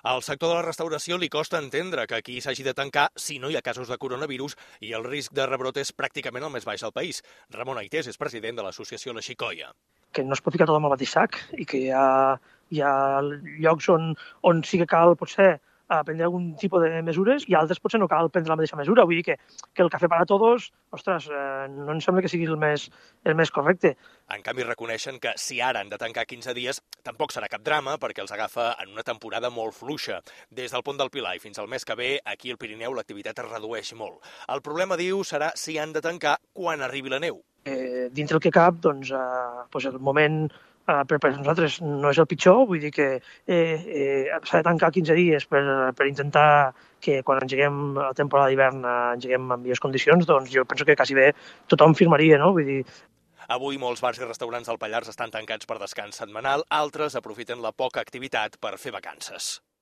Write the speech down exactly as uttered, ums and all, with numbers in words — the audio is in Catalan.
Al sector de la restauració li costa entendre que aquí s'hagi de tancar si no hi ha casos de coronavirus i el risc de rebrot és pràcticament el més baix al país. Ramon Aités és president de l'associació La Xicoia. Que no es pot ficar tot amb el mateix sac i que hi ha, hi ha llocs on, on sí que cal, potser, prendre algun tipus de mesures i altres potser no cal prendre la mateixa mesura. Vull dir que, que el cafè para todos, ostres, eh, no em sembla que sigui el més, el més correcte. En canvi, reconeixen que si ara han de tancar quinze dies, tampoc serà cap drama perquè els agafa en una temporada molt fluixa. Des del Pont del Pilar i fins al mes que ve, aquí al Pirineu l'activitat es redueix molt. El problema, diu, serà si han de tancar quan arribi la neu. Eh, dintre el que cap, doncs, eh, doncs el moment eh, per, per nosaltres no és el pitjor, vull dir que eh, eh, s'ha de tancar quinze dies per, per intentar que quan engeguem la temporada d'hivern eh, engeguem en millors condicions, doncs jo penso que quasi bé tothom firmaria, no? Vull dir, avui molts bars i restaurants del Pallars estan tancats per descans setmanal, altres aprofiten la poca activitat per fer vacances.